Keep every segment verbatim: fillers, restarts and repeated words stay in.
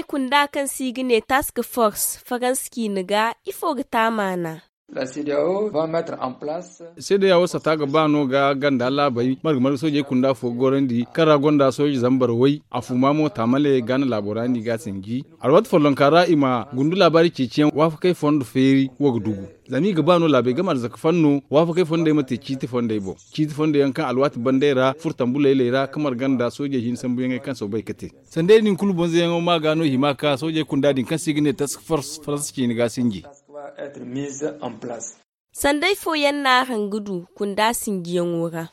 Kunda kaŋ se i ga ne task force faransa ciine ga ifo ga te a maana? Seedeya wo sata ga ba no ga ganda laabey marga marga soojey kunda fo ga gorandi kaŋ ra gonda sooje zambar way a fuma mo taamale gaana laabo ra no i ga a sinji. Alwaati follonka ra i ma gundu laabaari ceeciyaŋ waafakey fondo feeri wo ga dugu. Zama i ga ba no laabey game arzaka fanno waafakey fondey ma te ciiti fondey boŋ, ciiti fondey yaŋ kaŋ alwaati bandey ra furo tambu layley ra ka marga nda soojey hinne sambuyaŋey kaŋ soobay ga te. Sandey din kulu bonzoyaŋo ma ga no hima ka soojey kunda din kaŋ se i ga ne task force faransa ciine ga sinji. Sanday fooyaŋ no araŋ ga du kunda sinjiyaŋo ra?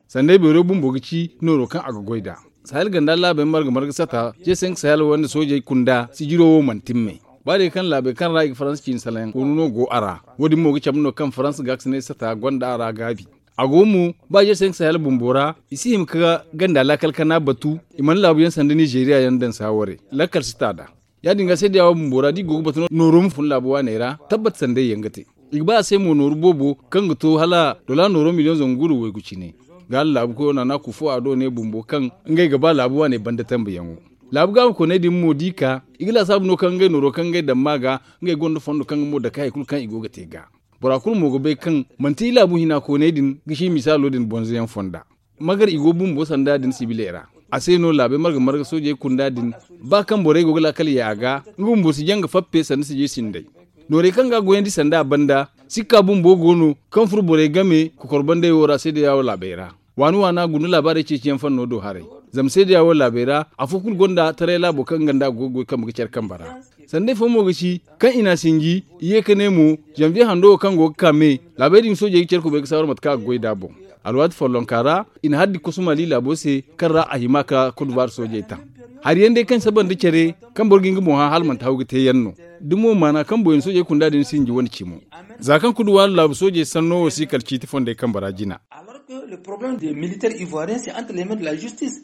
Sanday beero bumbo ga ci nooro kaŋ a ga goy nd'a. Sahel ganda laabey marga marga sata, jeesenk sahel wande soojey kunda sijiro wo mana timmey. Ba day kaŋ laabey kaŋ ra i ga faransa ciine salaŋ koonu no go a ra. Wo- din mo ga cabe no kaŋ faransa gaakasinay sata gonda a ra gaabi. A go mo ba jeesenk sahel bumbo ra, i si hima ka ganda laakal kana batu. I mana laabu yaŋ sanda nizeeriya yaŋ daŋ saaware lakkal si ta nd'a. Ya- din ga seedeya wo bumbo ra da i go ga batu no nooro ma fun laabu waaney ra tabbat sanday yaŋ ga te. I ga ba a se mo nooru boobo kaŋ ga to hala dola nooro miliyoŋ zangu guuru waygu cine. Ga hala laabu koyo naana kufo a do ne bumbo kaŋ ngey ga ba laabu waaney banda tambayaŋo. Laabu gaama kooney din mo da i ka i ga laasaabu no kaŋ ngey nooro kaŋ ngey daŋ ma ga ngey gonda fondo kaŋ ga mo dake hari kulu kaŋ i go ga te ga. Bora kulu mo ga bay kaŋ manti i laabu hina kooney din ga si misaalo din bonzoyaŋ fonda. Magar i go bumbo sanda din sibiley ra. A se no laabey marga marga soojey kunda din ba kaŋ borey go ga laakal ye a ga nga bumbo si jaŋ ga fappe sanda sijay sinday. Noorey kaŋ ga a goyandi sanda a banda sikka bumbo go no kaŋ furo borey game kokor bandey wo ra seedeya wo laabey ra. Waani waana guna laabaarey ceeciyaŋ fanno do haray. Zama seedeya wo laabey ra afo kulu gonda taray laabo kaŋ nga nda a go ga goy kambe ga care kambe ra. Sanday fo mo ga ci kaŋ i n'a sinji i ye ka ne mo, zanviye hando wo kaŋ go ga ka me laabey din soojey ga care kubay ga saawar mate kaŋ a ga goy nd'a boŋ. Alwaati follonka ra i na haddi kosu mali laabo se kaŋ ra a hima ka kudubaari soojey taŋ. Hari yaŋ day kaŋ saba nda care kaŋ boro ga nga boŋ hã hala manti haw ga te yaŋ no. Da mo maana kaŋ boyaŋ soojey kunda din sinji wane cimo. Za kaŋ kuduwaari laabu soojey sanno wo si kala ciiti fondey kambe ra jina. Militaire ivoirien se entre les mains de la justice.